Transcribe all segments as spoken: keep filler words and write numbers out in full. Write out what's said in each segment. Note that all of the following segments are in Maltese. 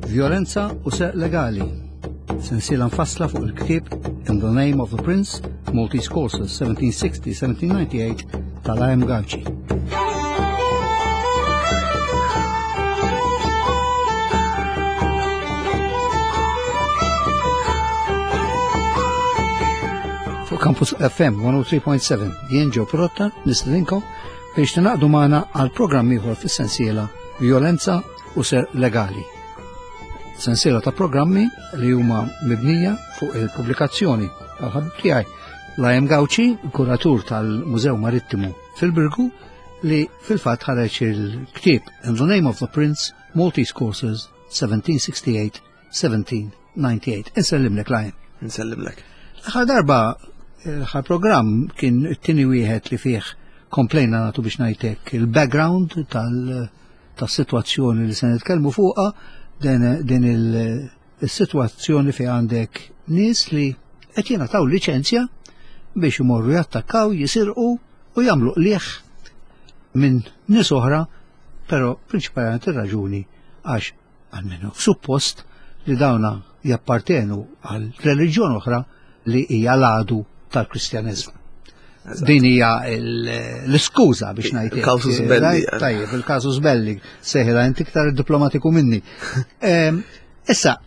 Violenza u Serq Legali. Sensiela mfassla fuq il-ktieb In the Name of the Prince, Maltese Courses seventeen sixty seventeen ninety-eight tal-A M Gauci. Fuq Campus F M one oh three point seven jien Joe Pirotta nistedinkom biex tingħaqdu magħna għal programm ieħor fis-sensiela Violenza u Serq Legali. Sensiela ta' programmi li huma mibnija fuq il-pubblikazzjoni tal-ħabib tiegħi L A M Gauci, kuratur tal-Mużew Marittimu fil-Birgu, li fil-fatt ħareġ il-ktieb In the Name of the Prince, Maltese Courses seventeen sixty-eight seventeen ninety-eight. Insellimlek, L A M. Nsellimlek. L-aħħar darba, l-aħħar programm kien it-tieni wieħed li fih komplejna nagħtu, biex ngħidlek, il-background tal- tas-sitwazzjoni li se nitkellmu fuqha, din din il-sitwazzjoni fi għandek nies li qed jingħataw liċenzja biex imorru jattakkaw, jisirqu u jagħmlu qlieħ minn nies oħra, però prinċipalment ir-raġuni għax almenu suppost li dawna jappartenu għal reliġjon oħra li hija l-għadu tal-Kristjaneżmu. Din hija l-iskuża, biex ngħid. Il-casus belli. Tajjeb, il-casus belli, seħila inti iktar diplomatiku minni. Em, Issa,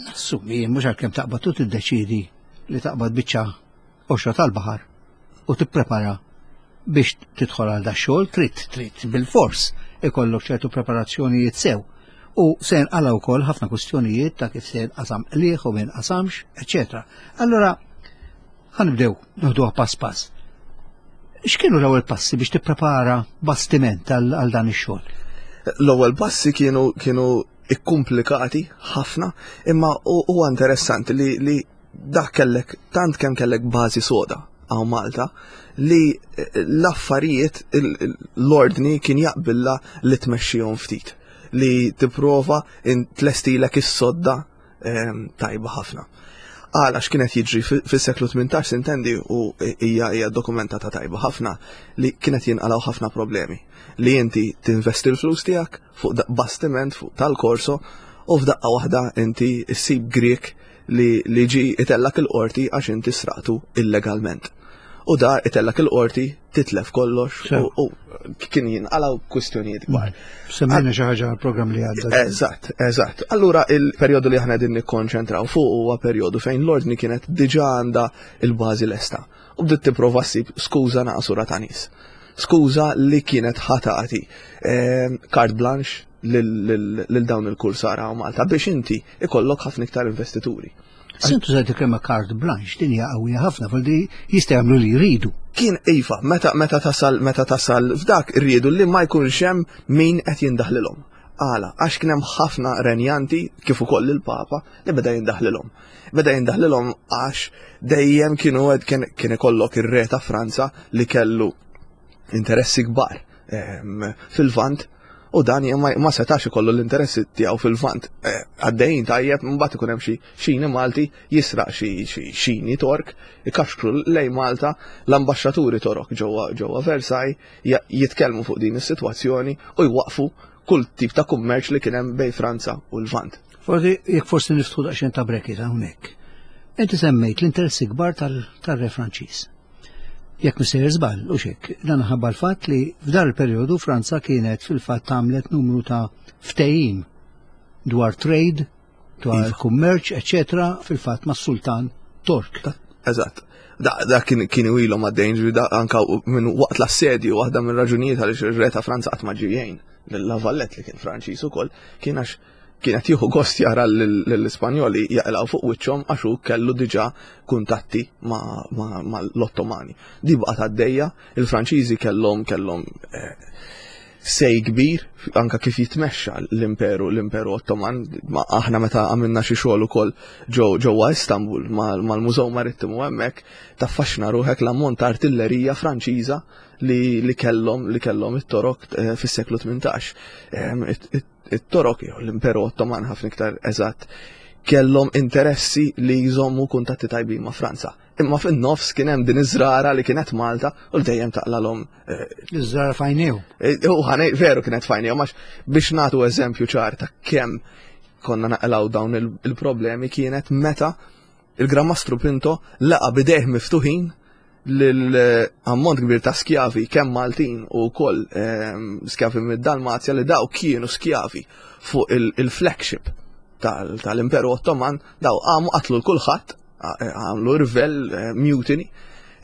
nassumi, mhux għalkemm taqbad u tiddeċidi li taqbad biċċa qoxra tal-baħar u tipprepara biex tidħol għal da xogħol, trid trid bil-fors ikollok ċertu preparazzjonijiet sew. U se nqala wkoll ħafna kwistjonijiet ta' kif se jinqasam qliegħ u ma jinqasamx, eċetera. Allora, ħa nibdew noħduha pass pass. X'kienu l-ewwel passi biex tipprepara bastiment għal għal dan ix-xogħol? L-ewwel passi kienu kienu ikkumplikati ħafna, imma huwa interessanti li, li dak kellek tant kemm kellek bażi soda hawn Malta li l-affarijiet, l-ordni kien jaqbilla li tmexxihom ftit, li tipprova tlestilek is-sodda tajba ħafna. Għala x'kienet jiġri fis-seklu tmintax, intendi, u hija hija dokumentata tajba ħafna li kienet jinqalgħu ħafna problemi. Li inti tinvesti l-flus tiegħek fuq bastiment fuq tal-korso u f'daqqa waħda inti ssib Grek li li ġi itellak il-qorti għax inti sraqtu illegalment. U da itellak il-qorti, titlef kollox u kien jinqalgħu kwistjonijiet kbar. Semmejna xi ħaġa għall-programm li għadda. Eżatt, eżatt. Allura il-perjodu li aħna qegħdin nikkonċentraw fuq huwa perjodu fejn l-ordni kienet diġà għandha il-bażi lesta. U bdiet tipprova ssib skuża naqsura ta' nies. Skuża li kienet ħa tagħti carte blanche lil dawn il-kursara u Malta biex inti ikollok ħafna iktar investituri. Sentu se kelma carte blanche, din hija qawwija ħafna, fil jista' jagħmlu li jridu. Kien iva, meta meta tasal meta tasal f'dak rridu li ma jkunx hemm min qed jindaħlilhom. Għala, għax kien hemm ħafna renjanti kif ukoll il-Papa li beda jindaħlilhom. Beda jindaħlilhom għax dejjem kienu kien kien ikollok ir-re ta' Franza li kellu interessi kbar fil-Lvant u dan ma setax ikollu l-interessi tiegħu fil-Lvant. Għaddejjin tajjeb, mbagħad ikun hemm xi xini Malti jisraq xi xini Tork, ikaxkru lejn Malta, l-ambaxxaturi Torok ġewwa ġewwa Versailles jitkellmu fuq din is-sitwazzjoni u jwaqfu kull tip ta' kummerċ li kien hemm bejn Franza u l-Lvant. Forsi jekk forsi niftħu daqsxejn ta' bracket hawnhekk. Inti semmejt l-interessi kbar tal-re Franċiż. Jekk msejjer żball, u xek, dan ħabba l-fatt li f'dar il-perjodu Franza kienet fil-fatt għamlet numru ta' ftehim dwar trade, dwar Iva. kummerċ, eccetera, fil-fatt mas-Sultan Tork. Eżatt. Da, da kien kien ilhom għaddejn, ġifieri da anka minn waqt l-assedju, waħda minn raġunijiet għaliex ir-re ta' Franza qatt ma ġie jgħin lil Valette li kien Franċiż ukoll, kien għax kien qed jieħu gost jara lill-Ispanjoli jaqilgħu fuq wiċċhom għax hu kellu diġà kuntatti ma' ma' ma' l-Ottomani. Di baqgħet għaddejja, il-Franċiżi kellhom kellhom eh, say kbir anka kif jitmexxa l-imperu l-imperu Ottoman. Ma aħna meta għamilna xi xogħol ukoll ġew ġewwa Istanbul mal-Mużew Marittimu hemmhekk, taffaxxina ruħek l-ammont ta' artillerija Franċiża li li kellhom li kellhom it-Torok eh, fis-seklu tmintax. Em, it- it- It-Torok jew l-Imperu Ottoman ħafna iktar eżatt kellhom interessi li jżommu kuntatti tajbin ma' Franza. Imma fin-nofs kien hemm din iż-żrara li kienet Malta u dejjem taqlalhom eh, Iż-żrara f'għajnejhom. Eh, U ħanej, veru kienet f'għajnejhom, għax biex nagħtu eżempju ċar ta' kemm konna naqilgħu dawn il-problemi kienet meta il-Gran Mastru Pinto laqa bidejh miftuħin l-ammont kbir ta' skjavi kemm Maltin u wkoll ehm, skjavi mid-Dalmazja li daw kienu skjavi fuq il-flagship tal-Imperu Ottoman, daw għamu qatlu l-kulħadd, għamlu rvel, eh, mutiny,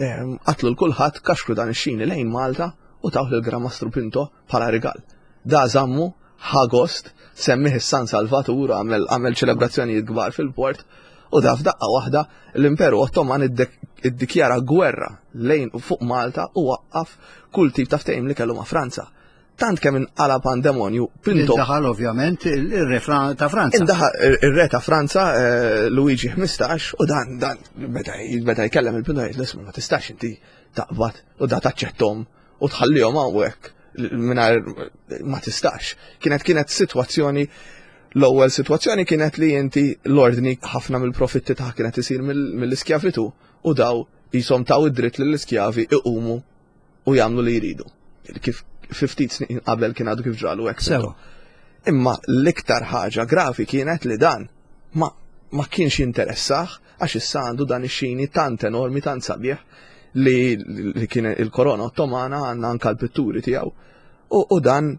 ehm, qatlu l-kulħadd, kaxkru dan ix-xini lejn Malta u tawh il-Gran Mastru Pinto bħala rigal. Da żammu ħa gost, semmih is-San Salvatur, għamel ċelebrazzjonijiet kbar fil-port, u da f'daqqa waħda l-Imperu Ottoman iddikjara gwerra lejn fuq Malta u waqqaf kull tip ta' ftehim li kellu ma' Franza. Tant kemm inqala pandemonju, Pinto. Indaħal ovvjament ir-re ta' Franza. Indaħal ir-re ta' Franza eh, Luigi ħmistax u dan dan beda jkellem il-Pinto jgħid l-isma ma tistax inti taqbad u da taċċettom u tħallihom hawnhekk mingħajr ma tistax. Kienet kienet sitwazzjoni. L-ewwel sitwazzjoni kienet li inti l-ordni ħafna mill-profitti ta' kienet isir mill-iskjavitu u daw jisom taw id-dritt lill-iskjavi iqumu u jagħmlu li jridu. Kif ftit snin qabel kien għadu kif ġralu hekk. Sewa. Imma l-iktar ħaġa gravi kienet li dan ma, ma kienx jinteressah għax issa għandu dan ix-xini tant enormi, tant sabiħ li, li kien il-korona Ottomana, għandna anka l-pitturi tiegħu. U, u dan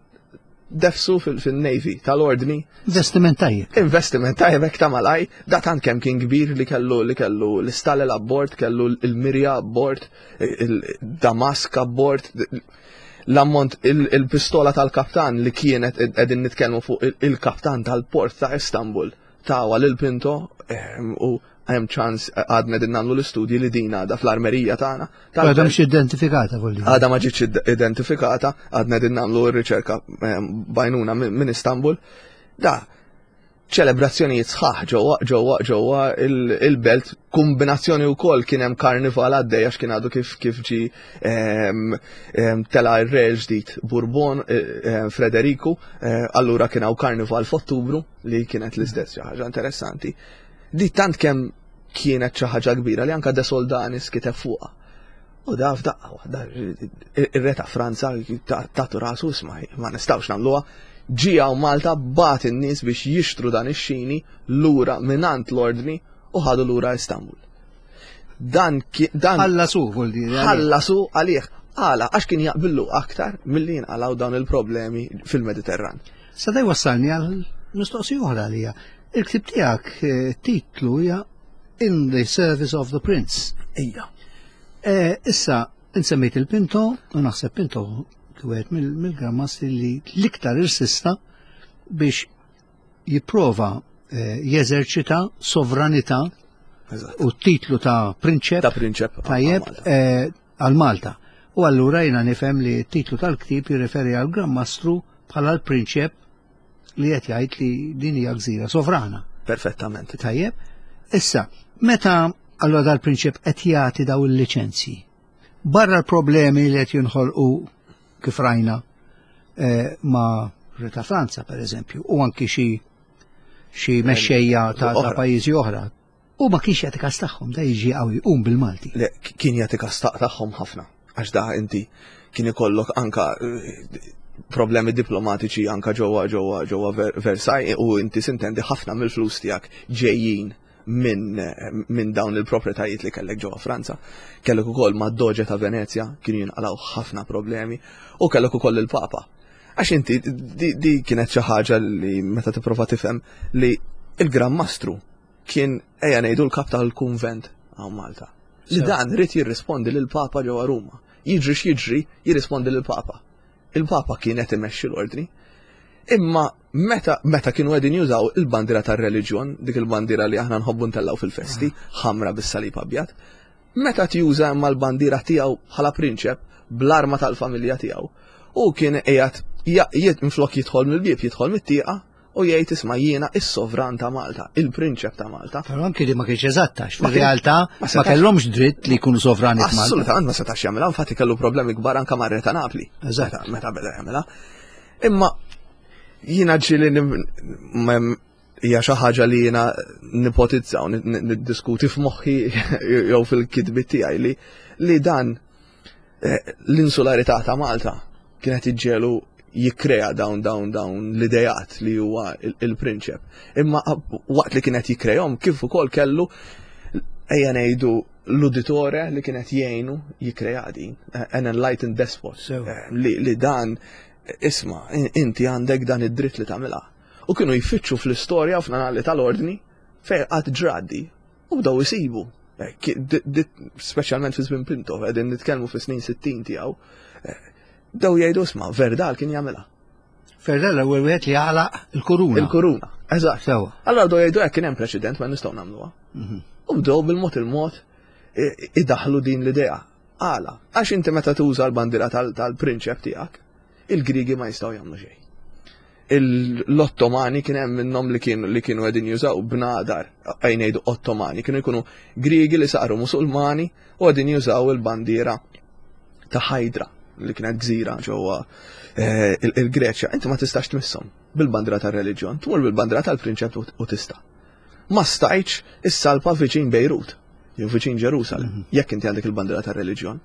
defsu fil-Navy tal-ordni. Investiment tajjeb. Investiment tajjeb hekk ta' malaj, da tant kemm kien kbir li kellu li kellu l-istalel abbord, kellu l-mirja abbord, il-damask abbord, l-ammont il-pistola tal-kaptan li kienet qegħdin nitkellmu fuq il-kaptan tal-port ta' Istanbul tawa lil Pinto u hemm ċans għadna din nagħmlu l-istudji li din għadha fl-armerija tagħna. Għadha mhux identifikata volli. Għadha ma ġietx identifikata, għadna din nagħmlu r-riċerka bajnuna minn Istanbul. Da ċelebrazzjonijiet sħaħ ġewwa ġewwa ġewwa il-belt, kombinazzjoni wkoll kien hemm karnival għaddej għax kien għadu kif kif ġi tela' r-re ġdid Bourbon Frederiku, allura kien hawn karnival f'Ottubru li kienet l-istess xi ħaġa interessanti. Di tant kemm kienet xi ħaġa kbira li anka De Soldanis kiteb fuqha. U da f'daqqa waħda ir-re ta' Franza tatu rasu isma' ma nistgħux nagħmluha. Ġie hawn Malta bagħat in-nies biex jixtru dan ix-xini lura mingħand l-ordni u ħadu lura Istanbul. Dan dan ħallasu vuol dire. Ħallasu għalih. Għala għax kien jaqbillu aktar milli jinqalgħu dawn il-problemi fil-Mediterran. Sa daj wassalni għal mistoqsija oħra għalija. Il-ktib tiegħek titlu hija In the Service of the Prince. Ija. Issa, insemmejt il-Pinto, u naħseb Pinto wieħed mill-Gran Mastri li l-iktar irsista biex jipprova jeżerċita sovranità u t-titlu ta' prinċep. Ta' prinċep. Tajjeb, għal Malta. U allura jiena nifhem li t-titlu tal-ktib jirreferi għal Gran Mastru bħala l-prinċep li qed jgħid li din hija gżira sovrana. Perfettament. Tajjeb. Issa, meta allura dal-prinċep qed jagħti daw il-liċenzji, barra l-problemi li qed jinħolqu kif rajna ma' Re ta' Franza per eżempju, u anki xi xi mexxejja ta' pajjiżi oħra. U ma kienx jagħti kas tagħhom, da jiġi qawwi jqum bil-Malti. Le, kien jagħti kas tagħhom ħafna, għax da inti kien ikollok anka problemi diplomatiċi anka ġewwa ġewwa ġewwa Versailles u inti sintendi ħafna mill-flus tiegħek ġejjin minn min dawn il-proprjetajiet li kellek ġewwa Franza. Kellek ukoll mad-Doġe ta' Venezja kienu jinqalgħu ħafna problemi u kellek ukoll il-Papa. Għax inti di, di kienet xi ħaġa li meta tipprova tifhem li il-Gran Mastru kien ejja ngħidu l-kap tal-kunvent hawn Malta. Li dan rid jirrispondi lill-Papa ġewwa Ruma. Jiġri x'jiġri, jirrispondi lill-Papa. Il-Papa kien qed imexxi l-ordni. Imma meta meta kienu qegħdin jużaw il-bandiera tar-reliġjon, dik il-bandiera li aħna nħobbu ntellgħu fil-festi, ħamra bis-salib abjad, meta tjuża imma l-bandiera tiegħu bħala prinċep bl-arma tal-familja tiegħu, u kien qiegħed minflok jidħol mill-bieb jidħol mit-tieqa u jgħid isma' jiena is-sovran ta' Malta, il-prinċep ta' Malta. Però anki li ma kienx eżatta, fir-realtà ma kellhomx dritt li jkunu sovrani f'Malta. Assolutament ma setax jagħmilha, infatti kellu problemi kbar anke mar-re ta' Napli. Eżatt. Meta beda jagħmilha. Imma jiena ġieli hija xi ħaġa li jiena nipotizza u niddiskuti f'moħħi jew fil-kitbiet tiegħi li li dan l-insularità ta' Malta kienet iġġelu jikkrea dawn dawn dawn l-idejat li huwa il-prinċep. Imma waqt li kienet jikkrejahom, kif ukoll kellu, ejja ngħidu, l-uditore li kienet jgħinu jikkrea din, an enlightened despot, eh, li, li dan, isma', inti għandek dan id-dritt li tagħmilha. U kienu jfittxu fl-istorja u fl-annali tal-ordni fejn qatt ġrat di u bdew isibu. Eh, speċjalment fi żmien Pinto, qegħdin nitkellmu fi snin sittin tiegħu, eh, bdew jgħidu, "Isma', Verdal kien jagħmilha." Verdal l-ewwel wieħed li għalaq il-kuruna. Il-kuruna, eżatt. Sewa. Allora bdew jgħidu, hekk kien hemm preċedent, ma nistgħu nagħmluha. Mhm. U bdew bil-mod il-mod idaħlu din l-idea. Għala, għax inti meta tuża l-bandira tal-prinċep tiegħek, il-Grigi ma jistgħu jagħmlu xejn. L-Ottomani kien hemm minnhom li kienu li kienu qegħdin jużaw bnadar, ejja ngħidu Ottomani, kienu jkunu Grigi li saru Musulmani u qegħdin jużaw il-bandiera ta' Hydra li kienet gżira ġewwa eh, il-Greċja. Inti ma tistax tmisshom bil-bandiera tar-reliġjon, tmur bil-bandiera tal-prinċep u tista'. Ma stajtx issalpa viċin Bejrut, jew viċin Ġerusalem, mhm. jekk inti għandek il-bandiera tar-reliġjon.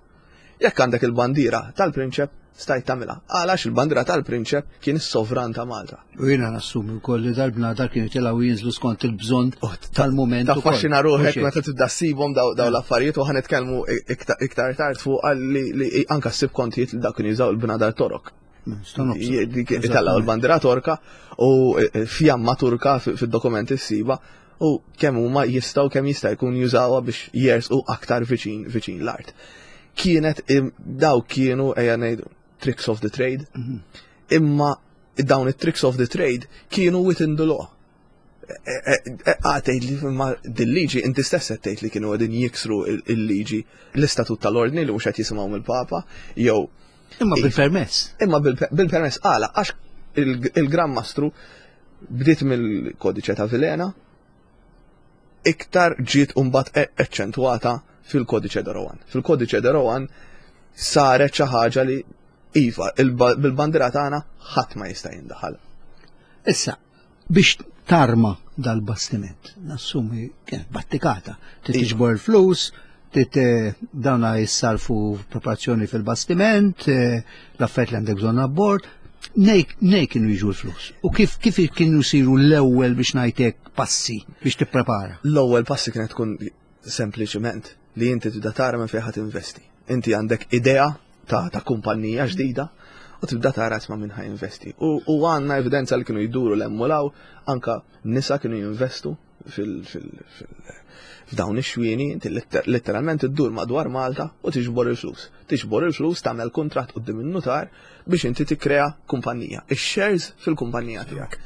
Jekk għandek il-bandiera tal-prinċep, stajt tagħmilha. Għalax il-bandiera tal-prinċep kien is-sovran ta' Malta. U jiena nassumi wkoll li dal-bnadar kienu jitilgħu jinżlu skont il-bżonn oh, tal-mument. Taffaxxina ruħek meta tibda ssibhom daw l-affarijiet u ħa nitkellmu iktar tard fuq li anka ssib kontijiet li dak kienu jużaw il-bnadar Torok. Itellgħu il-bandiera Torka u e, e, fjamma Turka fid-dokumenti ssiba u kemm huma jistgħu, kemm jista' jkun jużawha biex jersqu aktar viċin viċin l-art. Kienet daw kienu, ejja ngħidu, tricks of the trade. Mhm. Imma dawn it-tricks of the trade kienu within the law. Għatejt li ma dil-liġi, inti stess tgħid li kienu qegħdin jiksru il-liġi, l-istatut tal-ordni li mhux qed jisimgħu mill-Papa, jew Imma bil-permess. Imma bil-permess għala, għax il-Gran Mastru bdiet mill-kodiċe ta' Vilhena, iktar ġiet mbagħad eċċentwata fil-kodiċe de Rohan. Fil-kodiċe de Rohan saret xi ħaġa li iva, bil-bandira tagħna ħadd ma jista' jindaħal. Issa, biex tarma dal-bastiment, nassumi kienet battikata, tiġbor il-flus, dawna jissarfu preparazzjoni fil-bastiment, eh, l-affarijiet li għandek bżonn abbord, nej kienu jiġu l-flus. U kif kif kienu jsiru l-ewwel, biex ngħidlek, passi biex tipprepara? L-ewwel passi kienet tkun sempliċement li inti tibda tara minn fejn ħa tinvesti. Inti għandek idea ta', ta kumpanija ġdida u tibda tara, isma', minn ħa jinvesti. U, u għandna evidenza li kienu jduru l-emmulaw, anka nisa kienu jinvestu fil, fil, fil, f'dawn ix-xwieni, inti letteralment iddur madwar Malta u tiġbor il-flus. Tiġbor il-flus, tagħmel kuntratt quddiem in-nutar biex inti tikkrea kumpanija. Ix-shares fil-kumpanija tiegħek.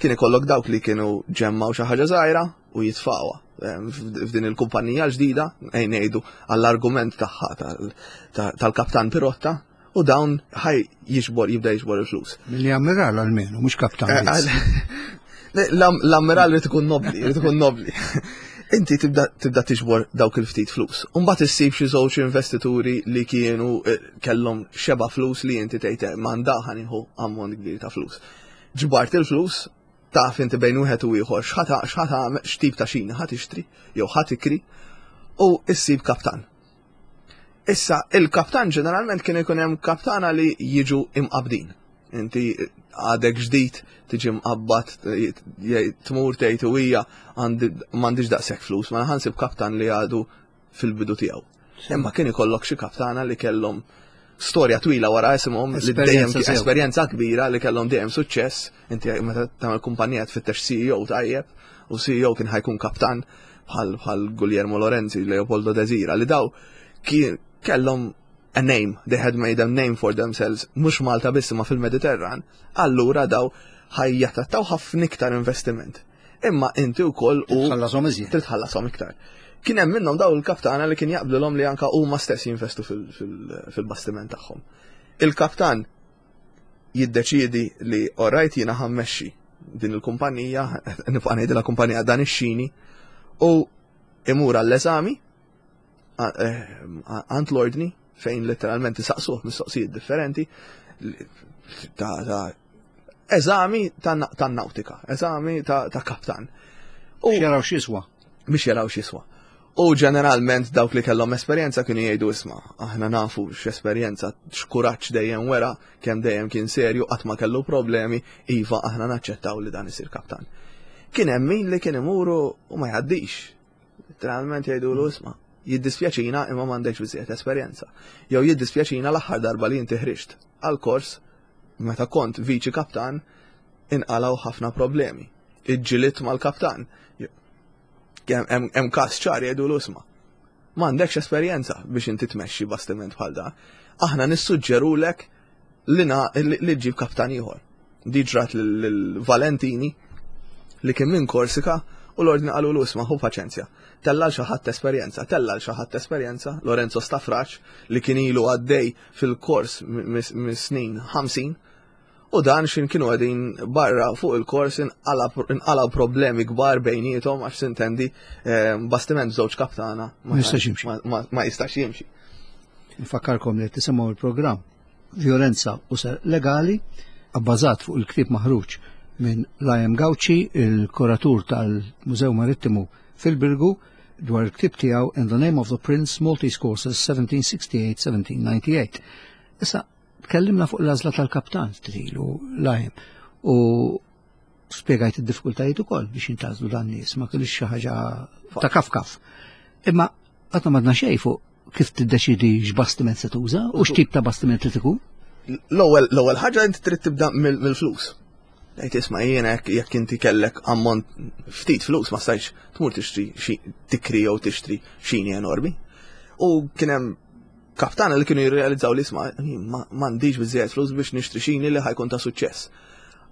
Kien ikollok dawk li kienu ġemmaw xi ħaġa żgħira u jitfawha f'din il-kumpanija l-ġdida, ejja ngħidu għall-argument tagħha tal-kaptan Pirotta, u dawn ħaj jiġbor, jibda jiġbor il-flus. Milli ammiral almenu, mhux kaptan. Eh, l-ammiral li tkun nobli, li tkun nobli. Inti tibda tibda tiġbor dawk il-ftit flus. Umbagħad issib xi żewġ investituri li kienu eh, kellhom xeba flus li inti tgħid, "M'għandha ħa nieħu ammont kbir ta' flus." Ġbart il-flus, taf inti bejn wieħed u ieħor x'ħa x'ħa x'tip ta' xini ħa tixtri jew ħa tikri u issib kaptan. Issa, il-kaptan ġeneralment kien ikun hemm kaptana li jiġu imqabdin. Inti għadek ġdid, tiġi mqabbad, tmur tgħid u hija m'għandix daqshekk flus, ma ħa nsib kaptan li għadu fil-bidu tiegħu. Imma kien ikollok xi kaptana li kellhom storja twila wara isimhom, li dejjem esperjenza kbira, li kellhom dejjem suċċess. Inti meta tagħmel kumpanija tfittex C E O tajjeb, u C E O kien ħa jkun kaptan bħal bħal Guglielmo Lorenzi, Leopoldo Desira, li daw kien kellhom a name, they had made a name for themselves, mhux Malta biss ma fil-Mediterran, allura daw ħa jattrattaw ħafna iktar investiment. Imma inti wkoll u tħallasom iżjed. Titħallasom iktar. Kien hemm minnhom daw il-kaptana li kien jaqblilhom li anka huma stess jinvestu fil-bastiment tagħhom. Il-kaptan jiddeċiedi li, "Alright, jiena ħa mmexxi din il-kumpanija, nibqa' ngħidilha kumpanija, dan ix-xini", u imur għall-eżami eh, għand l-ordni fejn letteralment isaqsuh mistoqsijiet differenti ta' ta' eżami ta' nautika, eżami ta' kaptan. U jaraw x'jiswa. Biex jaraw x'jiswa. U ġeneralment dawk li kellhom esperjenza kienu jgħidu isma', aħna nafu x'esperjenza, x'kuraġġ dejjem wera, kemm dejjem kien serju, qatt ma kellu problemi, iva aħna naċċettaw li dan isir kaptan. Kien hemm min li kien imuru u ma jgħaddix. Literalment jgħidulu isma', jiddispjaċina imma m'għandekx biżejjed esperjenza. Jew jiddispjaċina l-aħħar darba li inti ħriġt għal kors meta kont viċi kaptan inqalgħu ħafna problemi. Iġġiliet mal-kaptan. Hemm każ ċar jgħidu isma'. M'għandekx esperjenza biex inti tmexxi bastiment bħal da. Aħna nissuġġerulek li li ġġib kaptan ieħor. Di ġrat lil Valentini li kien minn Korsika u l-ordni qalu l isma' ħu paċenzja. Tella' xi ħadd esperjenza, tella' xi ħadd esperjenza, Lorenzo Stafraċ li kien ilu għaddej fil-kors mis-snin ħamsin u dan xin kienu għedin barra fuq il-kors inqalaw problemi kbar bejniethom għax sintendi bastiment żewġ kaptana ma jistax jimxi. Ma jistax jimxi. Nfakkarkom li tisimgħu il-programm Violenza u Serq Legali abbażat fuq il-ktieb maħruġ minn Liam Gauci, il-kuratur tal-Mużew Marittimu fil-Birgu, dwar il-ktieb tiegħu In the Name of the Prince, Maltese Courses seventeen sixty-eight seventeen ninety-eight. Issa, tkellimna fuq l-għażla tal-kaptan trilu Liam u spjegajt id-diffikultajiet ukoll biex jintgħażlu dan nies, ma kienx xi ħaġa ta' kaf kaf. Imma qatt ma għadna xejn fuq kif tiddeċidi x'bastiment se tuża u x'tip ta' bastiment li tkun. L-ewwel, l-ewwel ħaġa inti trid tibda mill-flus. Għajt isma' jiena jekk, jekk inti kellek ammont ftit flus ma stajtx tmur tixtri xi tikri jew tixtri xini enormi. U kien hemm kaptana li kienu jirrealizzaw li isma' m'għandix biżejjed flus biex nixtri xini li ħajkun ta' suċċess.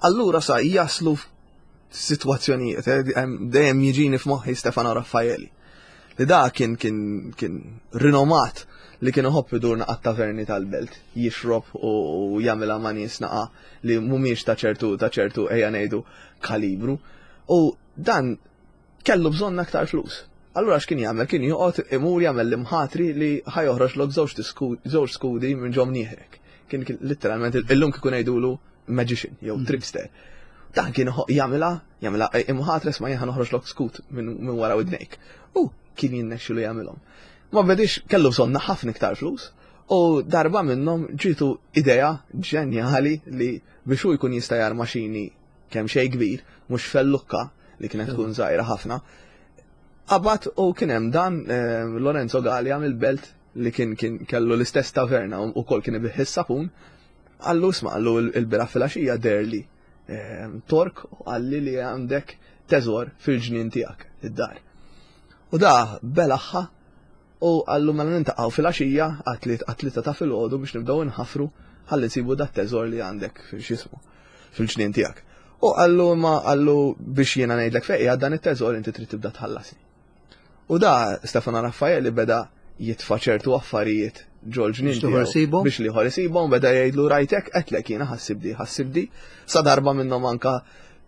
Allura sa jaslu f'sitwazzjonijiet, eh, dejjem jiġini f'moħħi Stefano Raffaeli. Li da kien, kien, kien rinomat li kien iħobb idur naqa' taverni tal-belt, jixrob u, u jagħmilha ma' nies naqa' li mhumiex ta' ċertu, ta' ċertu ejja ngħidu kalibru. U dan kellu bżonn aktar flus. Allura x'kien jagħmel? Kien joqgħod imur jagħmel l-imħatri li ħajoħroġ lok żewġ skudi minn ġom nieħrek. Kien, kien literalment illum kieku ngħidulu magician jew Mm. trickster. Dan kien jagħmilha, jagħmilha imħatre ma jien ħanoħroġ lok skut minn, minn wara widnejk. U kien jinnexxilu jagħmilhom. Ma bedix kellu bżonn ħafna iktar flus u darba minnhom ġitu idea ġenjali li biex hu jkun jista' jarma xini kemm xejn kbir, mhux fellukka li kienet tkun żgħira ħafna. Qabad u kien hemm dan, eh, Lorenzo Gallia mill-belt li kien, kien kellu l-istess taverna u wkoll kien ibih is-sapun. Qallu isma', qallu il-bira filgħaxija derli, eh, tork u qalli li għandek teżor fil-ġnien tiegħek id-dar. U da belaħħa u qallu mela nintaqgħu filgħaxija għat-tlieta ta' filgħodu biex nibdew inħafru ħalli nsibu dat teżor li għandek x'ismu fil-ġnien tiegħek. U qallu ma qallu biex jiena ngħidlek fejn qiegħed dan it-teżor inti trid tibda tħallasni. U da Stefano Raffaelli beda jitfa' ċertu affarijiet ġol-ġnien Biex l-ieħor tiegħu isibhom? biex l-ieħor isibhom, beda jgħidlu rajtek qedlek jiena ħassibdi, ħassibdi, sa darba minnhom anka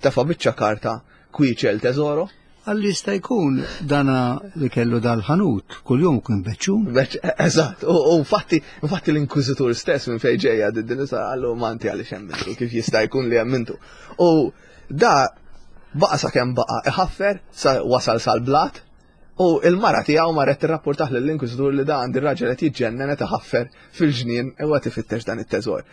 tefa' biċċa karta kwiċel teżoro. Għalli jista' jkun dana li kellu dal-ħanut, kuljum kien beċċun. Beċ, eżatt, u, u infatti, infatti l-inkwiżitur stess minn fejn ġejja din nisa qallu ma inti għaliex hemm intu, kif jista' jkun li hemm intu. U da baqa' sakemm baqa' iħaffer sa wasal sal-blat u il-mara tiegħu marret tirrapportah lill-inkwiżitur li da għandi raġel qed jiġġennen qed iħaffer fil-ġnien u qed ifittex dan it-teżor.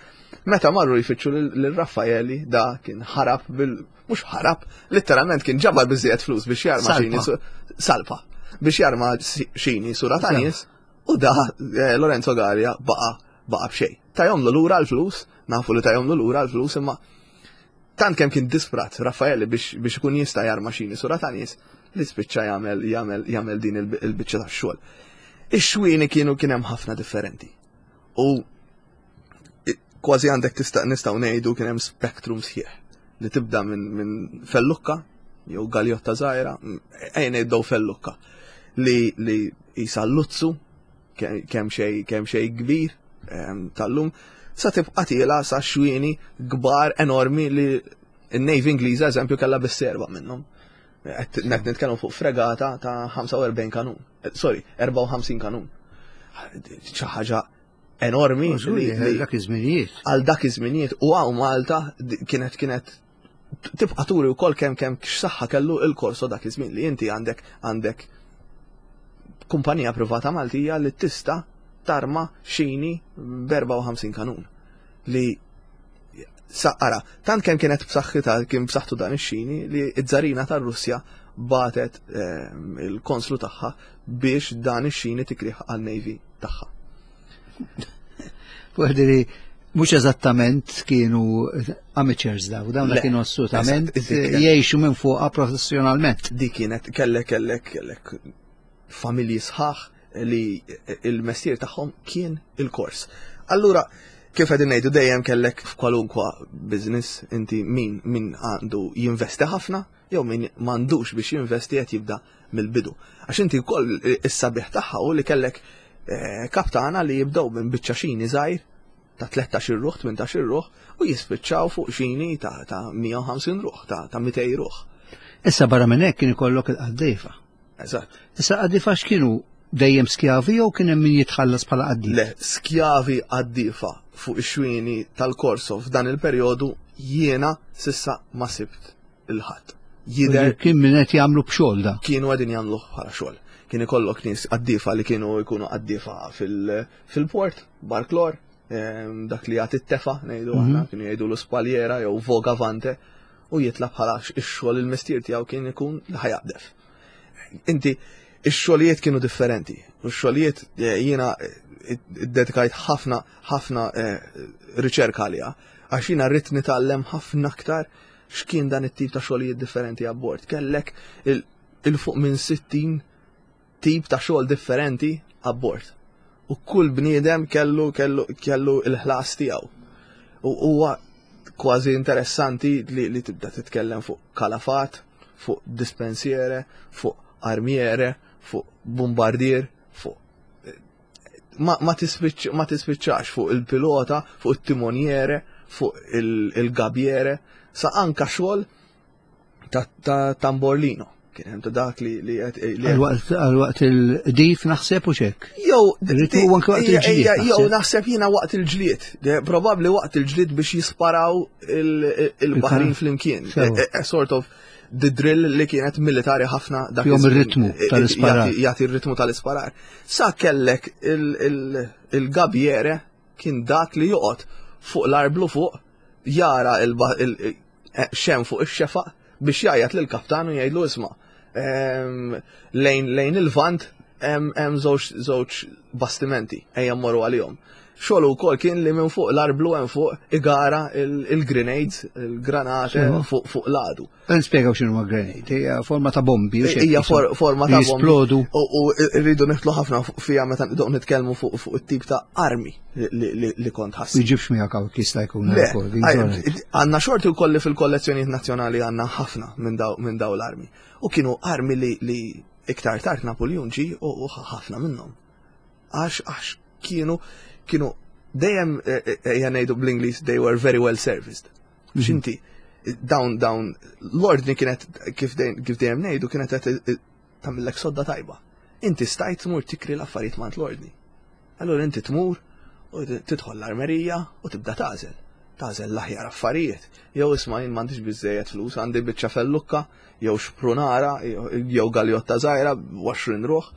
Meta marru jfittxu lil Raffaeli da kien ħarab bil mhux ħarab, letteralment kien ġabar biżejjed flus biex jarma Salpa. xini su-, salpa biex jarma si-, xini sura ta' nies u da, eh, Lorenzo Gallia baqa' baqa' b'xejn. Tajomlu lura l-flus, nafu li tajomlu lura l-flus, imma tant kemm kien disprat Raffaelli biex, biex ikun jista' jarma xini sura ta' nies li spiċċa jagħmel, jagħmel, jagħmel din il-, il-biċċa tax-xogħol. Ix-xwieni kienu kien hemm ħafna differenti. U kważi għandek tista' nistgħu ngħidu kien hemm spektrum sħiħ li tibda minn, minn fellukka jew galjotta żgħira, ejja ngħidu fellukka li, li jisa luzzu ke-, kemm xejn, kemm xejn kbir, ehm, tal-lum, sa tibqa' tiela sa xwieni kbar enormi li n-Navy Ingliża eżempju kellha bis-serba minnhom. Qed nitkellmu fuq fregata ta' ħamsa u erbgħin kanun. Eh, sorry, erbgħa u ħamsin kanun. Xi ħaġa enormi Żgur, li, li dak iż-żminijiet. Għal dak iż-żminijiet u hawn Malta di-, kienet, kienet tibqa' turi wkoll kemm, kemm x'saħħa kellu il-korso dak iż-żmien li inti għandek, għandek kumpanija privata Maltija li tista' tarma xini b'erbgħa u ħamsin kanun. Li Ara, tant kemm kienet b'saħħitha, kien b'saħħtu dan ix-xini, li ż-żarina tar-Russja bagħtet ehm, il-konslu tagħha biex dan ix-xini tikrih għal-Navy tagħha. Fuq mhux eżattament kienu amateurs daw, dawn kienu assolutament jgħixu minn fuqha professjonalment. Di kienet kellek kellek kellek familji sħaħ li il-mestier tagħhom kien il-kors. Allura, kif qegħdin ngħidu, dejjem kellek f'kwalunkwa business inti min min għandu jinvesti ħafna jew min m'għandux biex jinvesti, qed jibda mill-bidu. Għax inti wkoll is-sabiħ tagħha u li kellek eh, kaptana li jibdew minn biċċa xini żgħir ta' tlettax-il ruħ, tmintax-il ruħ u jispiċċaw fuq xini ta' ta' mija u ħamsin ruħ, ta' ta' mitejn ruħ. Issa barra minn hekk kien ikollok il-qaddiefa. Eżatt. Issa qaddiefa x'kienu, dejjem skjavi jew kien hemm min jitħallas bħala qaddif? Le, skjavi qaddiefa fuq ix-xwieni tal-Korso f'dan il-perjodu jiena s'issa ma sibt il-ħadd. Jider kien min qed jagħmlu b'xogħol da. Kienu qegħdin jagħmlu bħala xogħol. Kien ikollok nies qaddiefa li kienu jkunu qaddiefa fil-port, barklor, dak li jagħti t-tefa, ngħidu aħna, mhm. kienu jgħidu l-spaliera jew vogavante, u jitla bħala ix-xogħol, il-mestier tiegħu kien ikun li ħa jaqdef. Inti ix-xogħlijiet kienu differenti. U x-xogħlijiet eh, jiena eh, dedikajt ħafna ħafna eh, riċerka għaliha għax jiena rrid nitgħallem ħafna aktar x'kien dan it-tip ta' xogħlijiet differenti abbord. Kellek il-fuq minn sittin tip ta' xogħol differenti abbord. U kull bniedem kellu kellu kellu il-ħlas tiegħu. U huwa kważi interessanti li, li tibda titkellem fuq kalafat, fuq dispensiere, fuq armiere, fuq bombardier, fuq ma, ma, ma tispiċċax, fuq il-pilota, fuq il-timoniere, fuq il-gabiere, sa anka xogħol ta', ta tamborlino. Kien hemm ta' dak li li Għal waqt il-dif naħseb u xek. Jew jew naħseb naħseb jiena waqt il-ġlied. Probabbli waqt il-ġlied biex jisparaw il-baħrin flimkien. A sort of the drill li kienet militari ħafna dak. Jom ir-ritmu tal-isparar. Jagħti ir-ritmu tal-isparar. Sa kellek il-gabiere, kien dak li joqgħod fuq l-arblu fuq, jara x'hemm fuq ix-xefaq biex jgħajjat lil kaptan u jgħidlu: "Isma', lejn lejn il-vant hemm żewġ bastimenti, ejja mmorru għalihom." Xogħol ukoll kien li minn fuq l-arblu hemm fuq igara il-grenades, il-granate fuq fuq l-għadu. Nispjegaw x'inhu grenade, hija forma ta' bombi. Hija forma ta' bombi. Jisplodu. U rridu nidħlu ħafna fija meta nitkellmu fuq fuq it-tip ta' armi li kont ħass. Iġibx miegħek hawn jista' jkun. Għandna xorti wkoll li fil-kollezzjonijiet nazzjonali għandna ħafna minn daw l-armi. U kienu armi li iktar tard Napoleon ġi u ħafna minnhom. Għax għax kienu kienu dejjem, ejja ngħidu bl-Ingliż, they were very well serviced. Mhm. X'inti dawn dawn l-ordni kienet, kif dejjem ngħidu, kienet qed tagħmillek sodda tajba. Inti stajt tmur tikri l-affarijiet mant l-ordni. Allura inti tmur u tidħol l-armerija u tibda tagħżel. Tagħżel l-aħjar affarijiet. Jew isma', jien m'għandix biżejjed flus, għandi biċċa fellukka, jew xprunara, jew galjotta żgħira, għoxrin ruħ.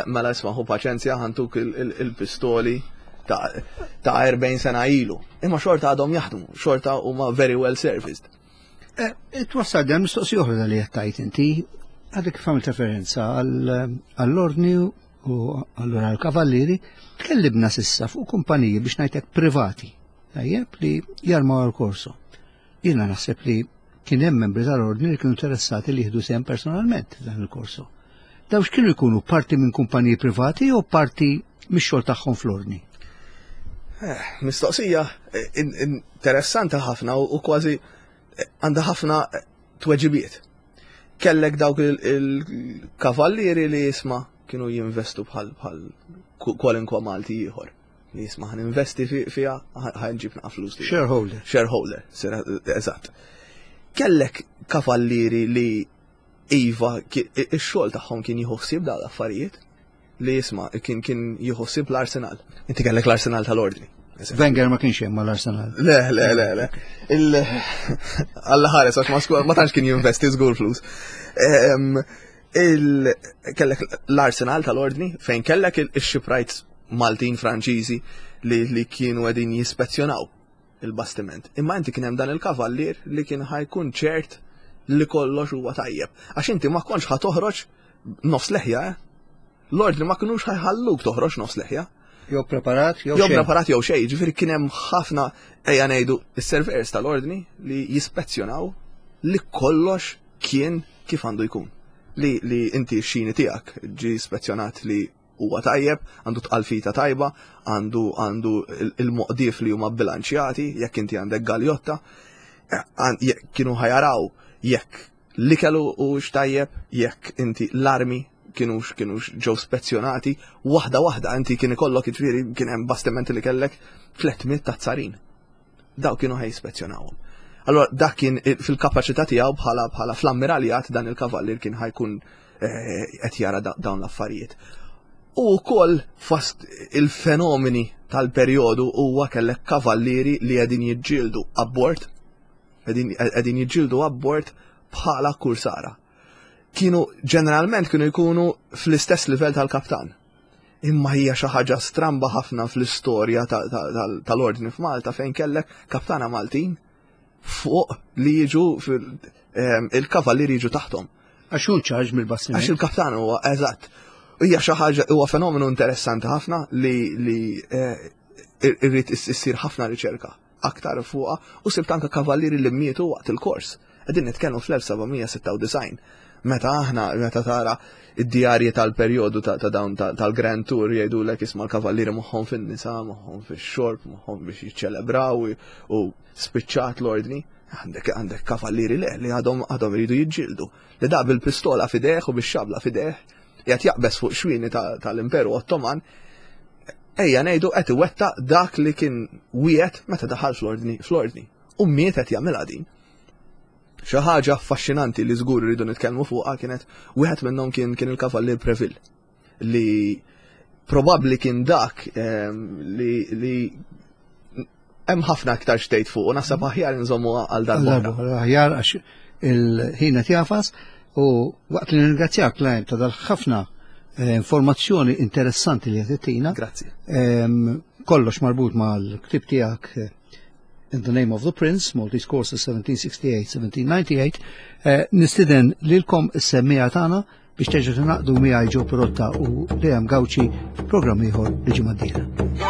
Mela isma', ħu paċenzja, ħa ntuk il-pistoli ta' erbgħin sena ilu. Imma xorta għadhom jaħdmu, xorta huma very well serviced. Eh, twassal dan mistoqsija oħra li qed inti, għadek għamilt referenza għall-ordni u allura għall-kavallieri, tkellimna s'issa fuq kumpaniji, biex ngħidlek, privati, tajjeb, li jarmaw għal-korso. Jiena naħseb li kien hemm membri tal-ordni li kienu interessati li jieħdu sehem personalment dan il-korso. Daw x'kienu jkunu, parti minn kumpaniji privati jew parti mix-xogħol tagħhom fl-ordni? Eh, mistoqsija eh, interessanti ħafna u kważi eh, għandha ħafna tweġibiet. Kellek dawk il-kavallieri li jisma' kienu jinvestu bħal bħal kwalinkwa Malti ieħor. Li jisma', ħa ninvesti fiha, ħa nġib naqa flus. Shareholder. Shareholder, eżatt. Kellek kavallieri li iva, ix-xogħol tagħhom kien jieħu ħsieb dawn l-affarijiet, li jisma' kien kien jieħu ħsieb l-arsenal. Inti kellek l-arsenal tal-ordni. Wenger ma kienx hemm mal-Arsenal. Le, le, le, le. Il Alla ħares, għax ma ma tantx kien jinvesti żgur flus. Il kellek l-arsenal tal-ordni fejn kellek il-shipwrights Maltin, Franċiżi li, li kienu qegħdin jispezzjonaw il-bastiment. Imma inti kien hemm dan il-kavallier li kien ħa jkun ċert li kollox huwa tajjeb. Għax inti ma kontx ħa toħroġ nofs leħja, eh? L-ordni ma kinux ħa jħalluk toħroġ nofs leħja. Jew preparat, jew Jew preparat jew xejn, ġifieri kien hemm ħafna, ejja ngħidu, is-surveyors tal-ordni li jispezzjonaw li kollox kien kif għandu jkun. Li, li inti x-xini tiegħek ġi spezzjonat li huwa tajjeb, għandu tqalfita tajba, għandu għandu il-moqdif li huma bilanċjati, jekk inti għandek galjotta, eh, kienu ħa jaraw jekk l-ikel hux tajjeb, jekk inti l-armi kienux kienux ġew spezzjonati, waħda waħda. Inti kien ikollok, jiġifieri kien hemm bastimenti li kellek tliet mitt ta' tsarin. Daw kienu ħa jispezzjonawhom. Allora dak kien fil-kapaċità tiegħu bħala bħala fl-ammiraljat, dan il-kavallier kien ħa jkun eh, qed jara dawn l-affarijiet. U wkoll fost il-fenomeni tal-perjodu huwa kellek kavallieri li qegħdin jiġġieldu abbord, qegħdin jiġġieldu abbord bħala kursara. Kienu ġeneralment kienu jkunu fl-istess livell tal-kaptan. Imma hija xi ħaġa stramba ħafna fl-istorja tal-ordni f'Malta fejn kellek kaptana Maltin fuq li jiġu il-kavallieri jiġu taħtom. Għax hu charge mill-bastiment. Għax il-kaptan huwa, eżatt. Hija xi ħaġa, huwa fenomenu interessanti ħafna li li eh, irrid issir ħafna riċerka aktar fuqha u sibt anke kavallieri li mietu waqt il-kors. Qegħdin nitkellmu fl-elf seba' mija sitta u disgħin. Meta aħna, meta tara id-djarji tal-perjodu ta' dawn tal-Grand Tour, jgħidulek, isma', l-kavallieri moħħhom fin-nisa, moħħhom fix-xorb, moħħhom biex jiċċelebraw u spiċċat l-ordni. Għandek għandek kavallieri le li għadhom għadhom iridu jiġġieldu. Li da bil-pistola f'idejh u bix-xabla f'idejh qed jaqbeż fuq xwini tal-Imperu Ottoman, ejja ngħidu qed iwettaq dak li kien wiegħed meta daħal fl-ordni fl-ordni. U miet qed jagħmilha din. Xi ħaġa affaxxinanti li żgur rridu nitkellmu fuqha kienet wieħed minnhom kien kien il-Kavallier Preville li probabbli kien dak ehm, li li hemm ħafna aktar x'tgħid fuq u naħseb aħjar nżommu għal darba. Aħjar, għax il-ħin qed jagħfas, u waqt li nirringrazzjak, Lime, ta' dal-ħafna eh, informazzjoni interessanti li għedtilna. Grazzi. Ehm, kollox marbut mal-ktib tiegħek eh, In the Name of the Prince, Maltese Corsairs seventeen sixty-eight seventeen ninety-eight, eh, nistieden lilkom is-semmiegħa tagħna biex terġgħu tingħaqdu miegħi Joe Pirotta u Liam Gauci, programm ieħor li ġimgħa d-dieħla.